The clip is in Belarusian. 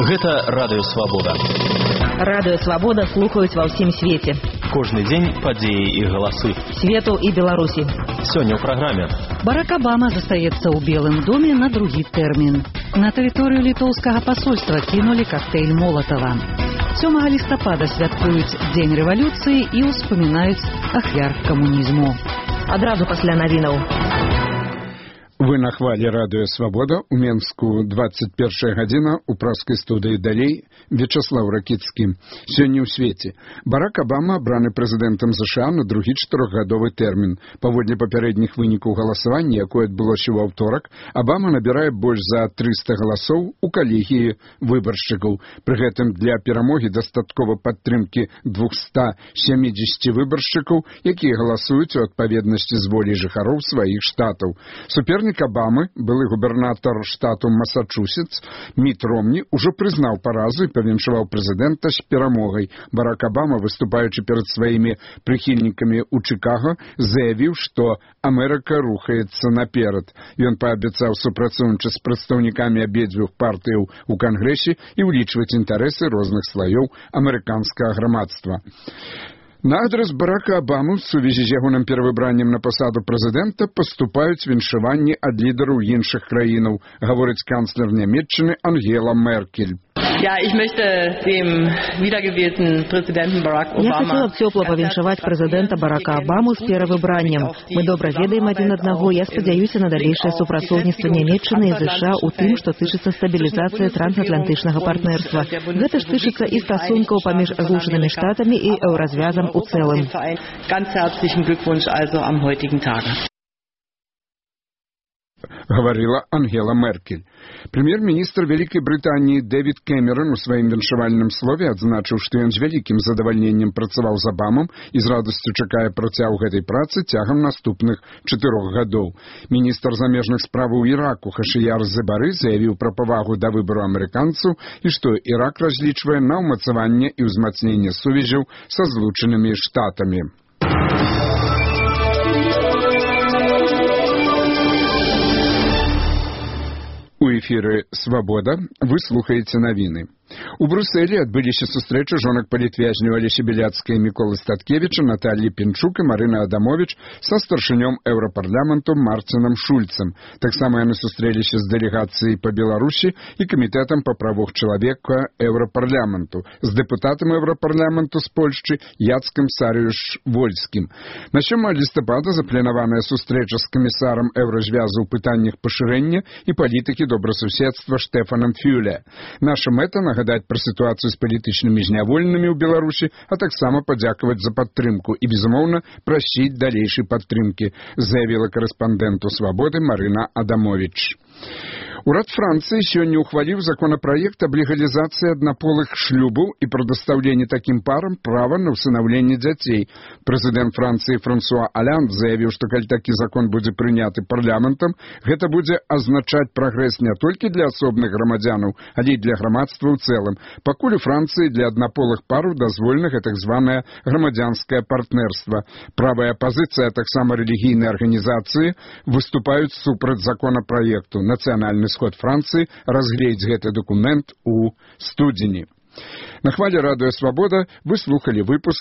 Гэта Радыё Свабода. Радыё Свабода слухаюць ва ўсім свеце. Кожны дзень падзеі і галасы. Свету і Беларусі. Сёння ў праграме. Барак Абама застаецца ў Белым доме на другі тэрмін. На тэрыторыю літоўскага пасольства кінулі коктейль Молатава. 7 лістапада святкуюць Дзень рэвалюцыі і ўспамінаюць ахвяр камунізму. Адразу пасля навінаў. Вы на хвале Радыё Свабода. У Менску 21 гадзіна, у праскай студыі далей Вячаслав Ракіцкі. Сёння ў свеце. Барак Абама абраны прэзідэнтам США на другі 4-гадовы тэрмін. Паводле папярэдніх вынікаў галасавання, якое адбылося ў аўторак, Абама набірае больш за 300 галасоў у калегіі выбаршчыкаў. Пры гэтым для перамогі дастаткова падтрымкі 270 выбаршчыкаў, якія галасуюць у адпаведнасці з воляй жыхароў сваіх штатаў. Супернік Абамы, былы губернатар штату Масачусетс, Міт Ромні, ужо прызнаў паразу і павіншаваў прэзідэнта з перамогай. Барак Абама, выступаючы перад сваімі прыхільнікамі ў Чыкага, заявіў, што Амерыка рухаецца наперад. Ён паабяцаў супрацоўнічаць з прадстаўнікамі абедзвюх партыяў у Кангрэсе і ўлічваць інтарэсы розных слаёў амерыканскага грамадства. На адрас Барака Абамы в сувязі з ягоным перавыбраннем на пасаду прэзідэнта паступаюць віншаванні ад лідараў іншых краінаў, гаворыць канцлер Нямецчыны Ангела Меркель. Я хотела б цёпла павіншаваць прэзідэнта Барака Абаму з перавыбраннем. Мы добра ведаем адзін аднаго. Я спадзяюся на далейшае супрацоўніцтва Нямецчыны і США ў тым, што тычыцца стабілізацыі трансатлантычнага партнерства. Гэта ж тычыцца і стасункаў паміж Злучанымі Штатамі і еўразвязам у цэлым. Говорила Ангела Меркель. Прэм'ер-міністр Вялікай Брытаніі Дэвід Кэмерон у сваім віншавальным слове адзначыў, што ён з вялікім задавальненнем працаваў з Абамам і з радасцю чакае працяг гэтай працы цягам наступных 4 гадоў. Міністр замежных справаў Іраку Хашыяр Зебары заявіў пра павагу да выбару амерыканцаў і што Ірак разлічвае на ўмацаванне і ўзмацненне сувязяў са Злучанымі Штатамі. У эфіры «Свабода» вы слухаеце навіны. У Брусэлі адбыліся сустрэчы жонак палітвязняў Алесі Беляцкай і Міколы Статкевіча, Наталлі Пінчук і Марына Адамовіч са старшынём Еўрапарламенту Марцінам Шульцам. Таксама яны сустрэліся з дэлегацыяй па Беларусі і камітэтам па правах чалавека Еўрапарламенту, з дэпутатам Еўрапарламенту з Польшчы Яцкам Сарыюш-Вольскім. На 7 лістапада запланаваная сустрэча з камісарам Еўразвязу ў пытаннях пашырэння і палітыкі добрасуседства Штэфанам Фюле. Наша мэта — нагадаць пра сітуацыю з палітычнымі зняволенымі ў Беларусі, а таксама падзякаваць за падтрымку і, безумоўна, прасіць далейшай падтрымкі, заявіла карэспандэнту «Свабоды» Марына Адамовіч. Урад Францыі сёння ухваліў законапраект аб легалізацыі аднаполых шлюбаў і прадастаўленні такім парам права на ўсынаўленне дзяцей. Прэзідэнт Францыі Франсуа Алянд заявіў, што калі такі закон будзе прыняты парламентам, гэта будзе азначаць прагрэс не толькі для асобных грамадзянаў, але і для грамадства ў цэлым. Пакуль у Францыі для аднаполых параў дазволена так званае грамадзянскае партнерства. Правая апазіцыя, а таксама рэлігійныя арганізацыі выступаюць супраць законапраекту. Нацыянальны сход Францыі разгледзіць гэты дакумент у студзені. На хвале Радыё Свабода вы слухалі выпуск